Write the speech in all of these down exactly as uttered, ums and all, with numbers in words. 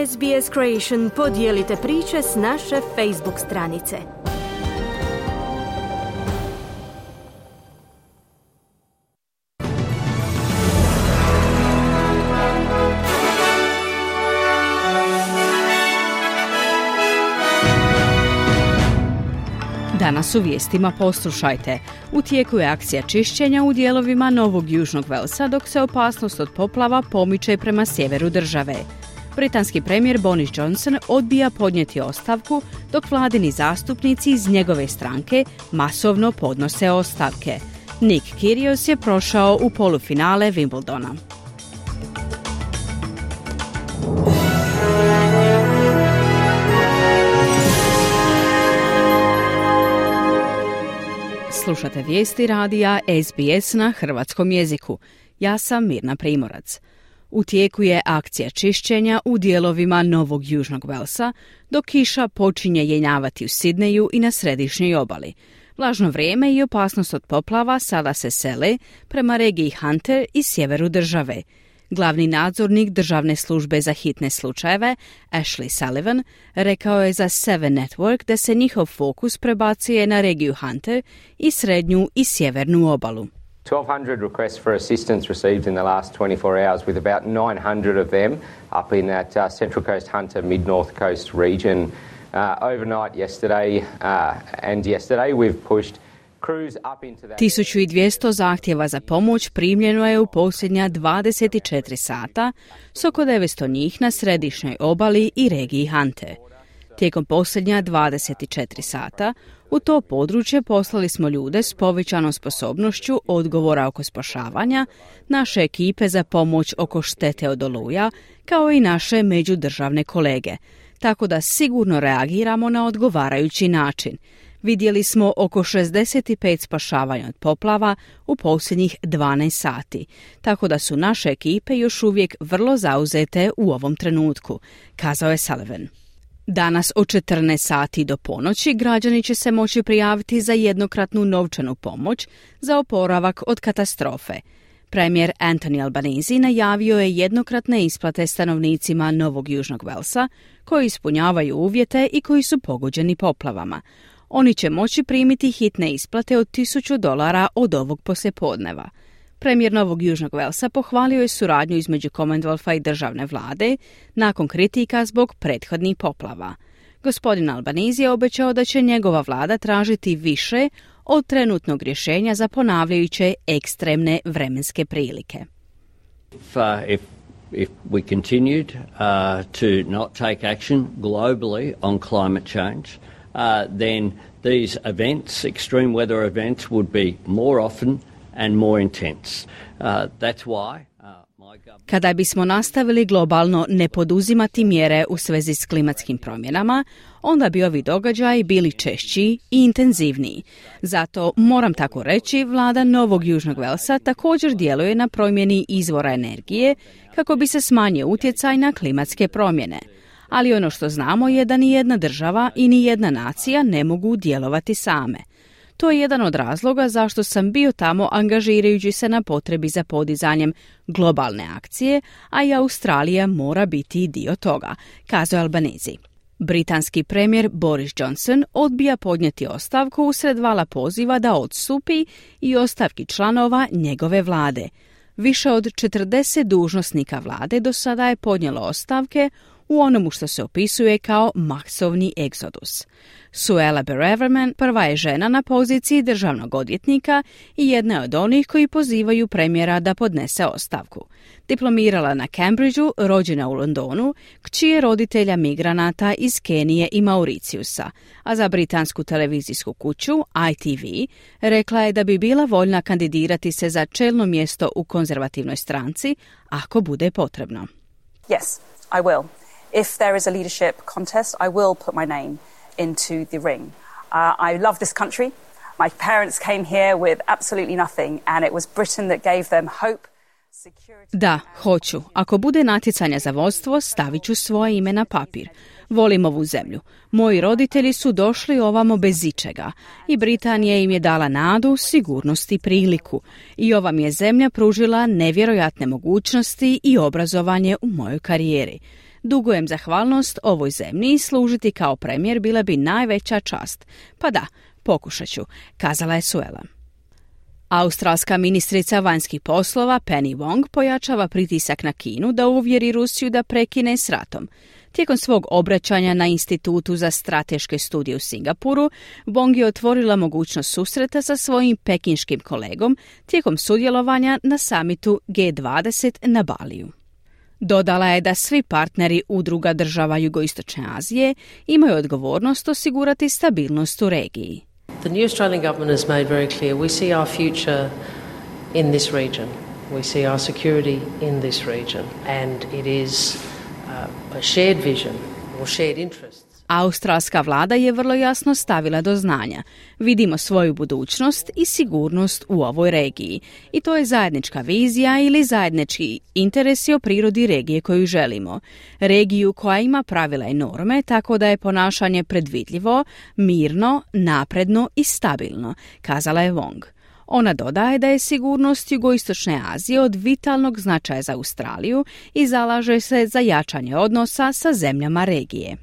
S B S Creation podijelite priče s naše Facebook stranice. Danas u vijestima poslušajte. U tijeku je akcija čišćenja u dijelovima Novog Južnog Walesa dok se opasnost od poplava pomiče prema sjeveru države. Britanski premijer Boris Johnson odbija podnijeti ostavku dok vladini zastupnici iz njegove stranke masovno podnose ostavke. Nick Kyrgios je prošao u polufinale Wimbledona. Slušate vijesti radija S B S na hrvatskom jeziku. Ja sam Mirna Primorac. U tijeku je akcija čišćenja u dijelovima Novog Južnog Walesa, dok kiša počinje jenjavati u Sidneju i na središnjoj obali. Vlažno vrijeme i opasnost od poplava sada se sele prema regiji Hunter i sjeveru države. Glavni nadzornik Državne službe za hitne slučajeve, Ashley Sullivan, rekao je za Seven Network da se njihov fokus prebacuje na regiju Hunter i srednju i sjevernu obalu. twelve hundred requests for assistance received in the last twenty-four hours, with about nine hundred of them up in that uh, Central Coast Hunter, Mid-North Coast region. Uh, overnight yesterday uh, and yesterday we've pushed tisuću dvjesto zahtjeva za pomoć primljeno je u posljednja dvadeset četiri sata, s oko devetsto njih na središnjoj obali i regiji Hunter. Tijekom posljednja dvadeset četiri sata u to područje poslali smo ljude s povećanom sposobnošću odgovora oko spašavanja, naše ekipe za pomoć oko štete od oluja, kao i naše međudržavne kolege, tako da sigurno reagiramo na odgovarajući način. Vidjeli smo oko šezdeset pet spašavanja od poplava u posljednjih dvanaest sati, tako da su naše ekipe još uvijek vrlo zauzete u ovom trenutku, kazao je Sullivan. Danas od četrnaest sati do ponoći građani će se moći prijaviti za jednokratnu novčanu pomoć za oporavak od katastrofe. Premijer Anthony Albanese najavio je jednokratne isplate stanovnicima Novog Južnog Walesa koji ispunjavaju uvjete i koji su pogođeni poplavama. Oni će moći primiti hitne isplate od tisuću dolara od ovog poslijepodneva. Premijer Novog Južnog Walesa pohvalio je suradnju između Commonwealtha i državne vlade nakon kritika zbog prethodnih poplava. Gospodin Albanese je obećao da će njegova vlada tražiti više od trenutnog rješenja za ponavljajuće ekstremne vremenske prilike. If, uh, if, if we continued uh, to not take action globally on climate change, Uh, then these events, extreme weather events, would be more often and more intense. Uh, that's why uh, my government... Kada bismo nastavili globalno ne poduzimati mjere u svezi s klimatskim promjenama, onda bi ovi događaji bili češći i intenzivniji. Zato, moram tako reći, vlada Novog Južnog Walesa također djeluje na promjeni izvora energije kako bi se smanjio utjecaj na klimatske promjene. Ali ono što znamo je da ni jedna država i ni jedna nacija ne mogu djelovati same. To je jedan od razloga zašto sam bio tamo angažirajući se na potrebi za podizanjem globalne akcije, a i Australija mora biti dio toga, kazao Albanese. Britanski premijer Boris Johnson odbija podnijeti ostavku usred vala poziva da odstupi i ostavki članova njegove vlade. Više od četrdeset dužnosnika vlade do sada je podnijelo ostavke u onomu što se opisuje kao masovni egzodus. Suella Braverman prva je žena na poziciji državnog odvjetnika i jedna je od onih koji pozivaju premijera da podnese ostavku. Diplomirala na Cambridgeu, rođena u Londonu, kći je roditelja migranata iz Kenije i Mauriciusa, a za britansku televizijsku kuću I T V rekla je da bi bila voljna kandidirati se za čelno mjesto u konzervativnoj stranci ako bude potrebno. Yes, I will. If there is a leadership contest, I will put my name into the ring. Uh, I love this country. My parents came here with absolutely nothing, and it was Britain that gave them hope. Da, hoću. Ako bude natjecanja za vodstvo, stavit ću svoje ime na papir. Volim ovu zemlju. Moji roditelji su došli ovamo bez ičega i Britanija im je dala nadu, sigurnost i priliku. I ova mi je zemlja pružila nevjerojatne mogućnosti i obrazovanje u mojoj karijeri. Dugujem zahvalnost ovoj zemlji i služiti kao premijer bila bi najveća čast. Pa da, pokušat ću, kazala je Suela. Australska ministrica vanjskih poslova Penny Wong pojačava pritisak na Kinu da uvjeri Rusiju da prekine s ratom. Tijekom svog obraćanja na Institutu za strateške studije u Singapuru, Wong je otvorila mogućnost susreta sa svojim pekinškim kolegom tijekom sudjelovanja na samitu G dvadeset na Baliju. Dodala je da svi partneri udruga država Jugoistočne Azije imaju odgovornost osigurati stabilnost u regiji. The new Australian government has made very clear we see our future in this region. We see our security in this region. And it is uh, a shared vision or shared interests. Australska vlada je vrlo jasno stavila do znanja. Vidimo svoju budućnost i sigurnost u ovoj regiji. I to je zajednička vizija ili zajednički interesi o prirodi regije koju želimo. Regiju koja ima pravila i norme tako da je ponašanje predvidljivo, mirno, napredno i stabilno, kazala je Wong. Ona dodaje da je sigurnost Jugoistočne Azije od vitalnog značaja za Australiju i zalaže se za jačanje odnosa sa zemljama regije.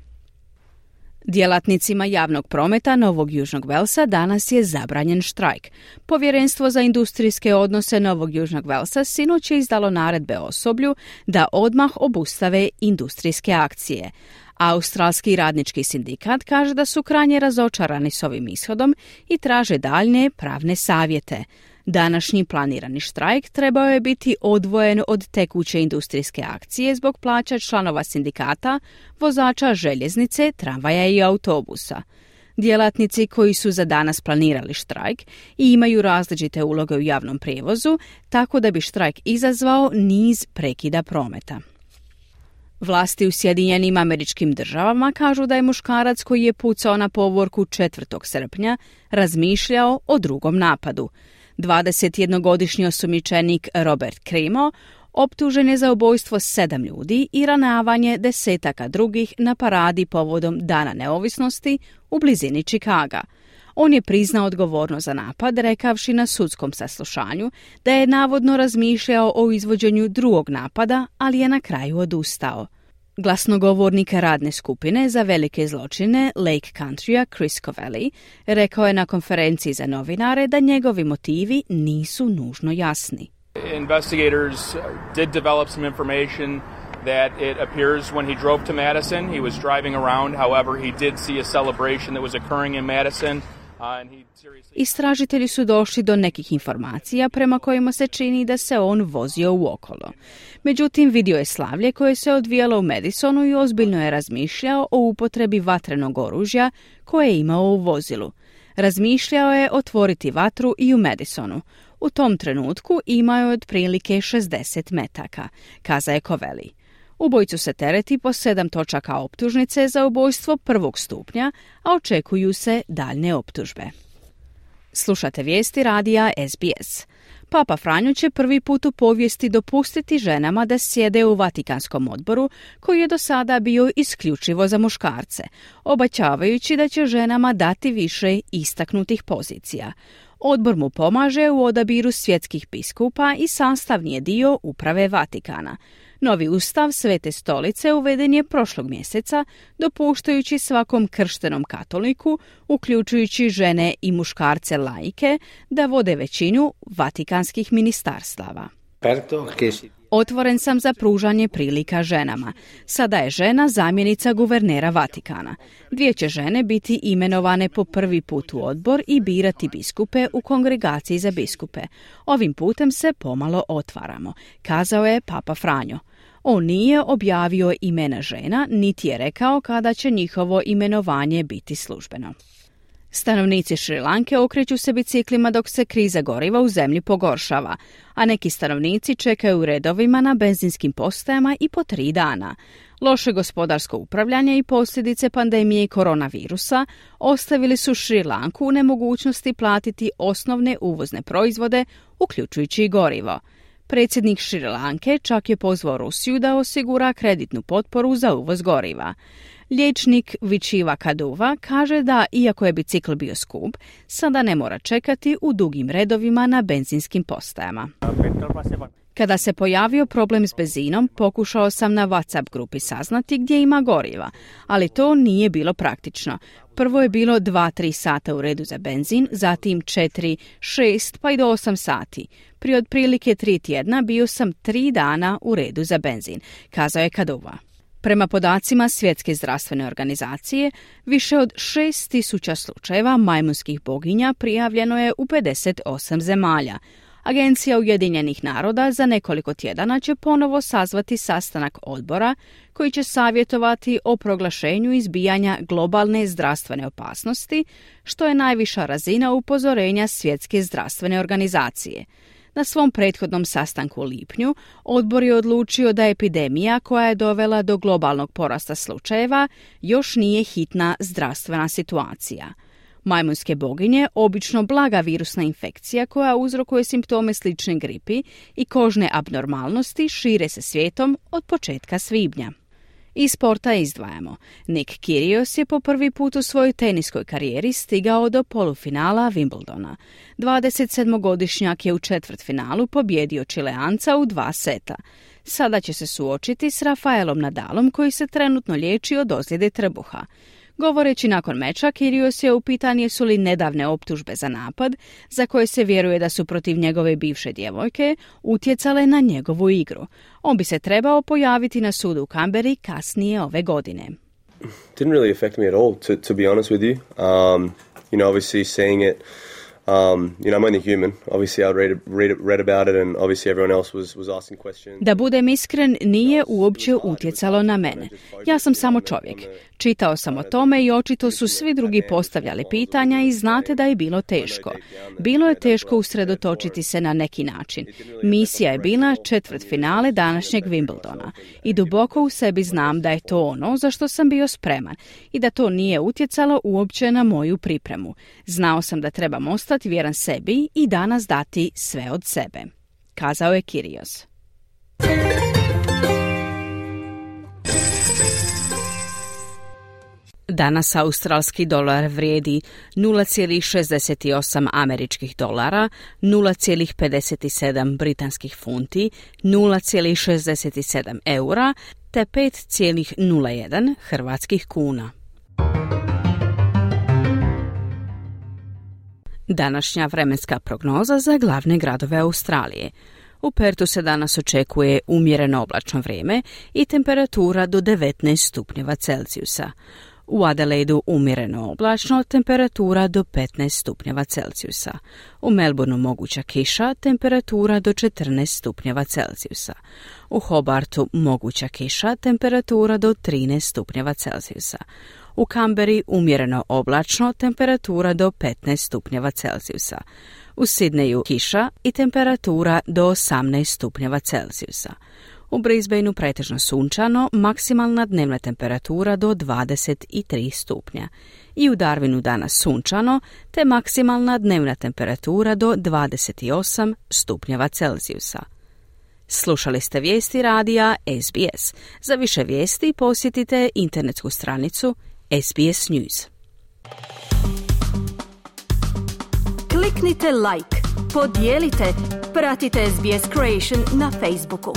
Djelatnicima javnog prometa Novog Južnog Velsa danas je zabranjen štrajk. Povjerenstvo za industrijske odnose Novog Južnog Velsa sinoć je izdalo naredbe osoblju da odmah obustave industrijske akcije. Australski radnički sindikat kaže da su krajnje razočarani s ovim ishodom i traže daljnje pravne savjete. Današnji planirani štrajk trebao je biti odvojen od tekuće industrijske akcije zbog plaća članova sindikata, vozača željeznice, tramvaja i autobusa. Djelatnici koji su za danas planirali štrajk i imaju različite uloge u javnom prijevozu, tako da bi štrajk izazvao niz prekida prometa. Vlasti u Sjedinjenim Američkim Državama kažu da je muškarac koji je pucao na povorku četvrtog srpnja razmišljao o drugom napadu. dvadesetjednogodišnji osumnjičenik Robert Crimo optužen je za ubojstvo sedam ljudi i ranavanje desetaka drugih na paradi povodom Dana neovisnosti u blizini Čikaga. On je priznao odgovornost za napad, rekavši na sudskom saslušanju da je navodno razmišljao o izvođenju drugog napada, ali je na kraju odustao. Glasnogovornik radne skupine za velike zločine Lake Countrya Chris Covelli rekao je na konferenciji za novinare da njegovi motivi nisu nužno jasni. Investigators did develop some information that it appears when he drove to Madison, he was driving around, however he did see a celebration that was occurring in Madison. Istražitelji su došli do nekih informacija prema kojima se čini da se on vozio uokolo. Međutim, vidio je slavlje koje se odvijalo u Madisonu i ozbiljno je razmišljao o upotrebi vatrenog oružja koje je imao u vozilu. Razmišljao je otvoriti vatru i u Madisonu. U tom trenutku imao je otprilike šezdeset metaka, kaza je Covelli. Ubojicu se tereti po sedam točaka optužnice za ubojstvo prvog stupnja, a očekuju se daljne optužbe. Slušate vijesti radija S B S. Papa Franjo će prvi put u povijesti dopustiti ženama da sjede u Vatikanskom odboru, koji je do sada bio isključivo za muškarce, obećavajući da će ženama dati više istaknutih pozicija. Odbor mu pomaže u odabiru svjetskih biskupa i sastavni je dio uprave Vatikana. Novi ustav Svete stolice uveden je prošlog mjeseca, dopuštajući svakom krštenom katoliku, uključujući žene i muškarce laike, da vode većinu vatikanskih ministarstava. Otvoren sam za pružanje prilika ženama. Sada je žena zamjenica guvernera Vatikana. Dvije će žene biti imenovane po prvi put u odbor i birati biskupe u kongregaciji za biskupe. Ovim putem se pomalo otvaramo, kazao je Papa Franjo. On nije objavio imena žena, niti je rekao kada će njihovo imenovanje biti službeno. Stanovnici Šri Lanke okreću se biciklima dok se kriza goriva u zemlji pogoršava, a neki stanovnici čekaju u redovima na benzinskim postajama i po tri dana. Loše gospodarsko upravljanje i posljedice pandemije koronavirusa ostavili su Šri Lanku u nemogućnosti platiti osnovne uvozne proizvode, uključujući i gorivo. Predsjednik Šri Lanke čak je pozvao Rusiju da osigura kreditnu potporu za uvoz goriva. Liječnik Vičiva Kaduva kaže da, iako je bicikl bio skup, sada ne mora čekati u dugim redovima na benzinskim postajama. Kada se pojavio problem s benzinom, pokušao sam na WhatsApp grupi saznati gdje ima goriva, ali to nije bilo praktično. Prvo je bilo dva tri sata u redu za benzin, zatim četiri, šest pa i do osam sati. Prije otprilike tri tjedna bio sam tri dana u redu za benzin, kazao je Kaduva. Prema podacima Svjetske zdravstvene organizacije, više od šest tisuća slučajeva majmunskih boginja prijavljeno je u pedeset osam zemalja. Agencija Ujedinjenih naroda za nekoliko tjedana će ponovo sazvati sastanak odbora koji će savjetovati o proglašenju izbijanja globalne zdravstvene opasnosti, što je najviša razina upozorenja Svjetske zdravstvene organizacije. Na svom prethodnom sastanku u lipnju, odbor je odlučio da epidemija koja je dovela do globalnog porasta slučajeva još nije hitna zdravstvena situacija. Majmunske boginje, obično blaga virusna infekcija koja uzrokuje simptome slične gripi i kožne abnormalnosti, šire se svijetom od početka svibnja. Iz sporta izdvajamo. Nick Kyrgios je po prvi put u svojoj teniskoj karijeri stigao do polufinala Wimbledona. dvadesetsedmogodišnjak je u četvrtfinalu pobjedio Čileanca u dva seta. Sada će se suočiti s Rafaelom Nadalom koji se trenutno liječi od ozljede trbuha. Govoreći nakon meča, Kyrgios je upitan jesu li nedavne optužbe za napad, za koje se vjeruje da su protiv njegove bivše djevojke, utjecale na njegovu igru. On bi se trebao pojaviti na sudu u Canberri kasnije ove godine. Didn't really affect me at all, to, to be honest with you. Um, you know, obviously seeing it, Um, you know, I'm only human. Obviously, I read, read, read about it and obviously everyone else was, was asking questions. Da budem iskren, nije uopće utjecalo na mene. Ja sam samo čovjek. Čitao sam o tome i očito su svi drugi postavljali pitanja i znate da je bilo teško. Bilo je teško usredotočiti se na neki način. Misija je bila četvrtfinale današnjeg Wimbledona i duboko u sebi znam da je to ono za što sam bio spreman i da to nije utjecalo uopće na moju pripremu. Znao sam da trebam ostati vjeran sebi i danas dati sve od sebe, kazao je Kyrgios. Danas australski dolar vrijedi nula zarez šezdeset osam američkih dolara, nula zarez pedeset sedam britanskih funti, nula zarez šezdeset sedam eura te pet zarez nula jedan hrvatskih kuna. Današnja vremenska prognoza za glavne gradove Australije. U Pertu se danas očekuje umjereno oblačno vrijeme i temperatura do devetnaest stupnjeva Celzijusa. U Adelaidu umjereno oblačno, temperatura do petnaest stupnjeva Celzijusa. U Melbourneu moguća kiša, temperatura do četrnaest stupnjeva Celzijusa. U Hobartu moguća kiša, temperatura do trinaest stupnjeva Celzijusa. U Canberri umjereno oblačno, temperatura do petnaest stupnjeva Celzijusa. U Sidneju kiša i temperatura do osamnaest stupnjeva Celzijusa. U Brisbaneu pretežno sunčano, maksimalna dnevna temperatura do dvadeset tri stupnja. I u Darwinu danas sunčano, te maksimalna dnevna temperatura do dvadeset osam stupnjeva Celzijusa. Slušali ste vijesti radija S B S. Za više vijesti posjetite internetsku stranicu S B S News. Kliknite like, podijelite, pratite S B S Creation na Facebooku.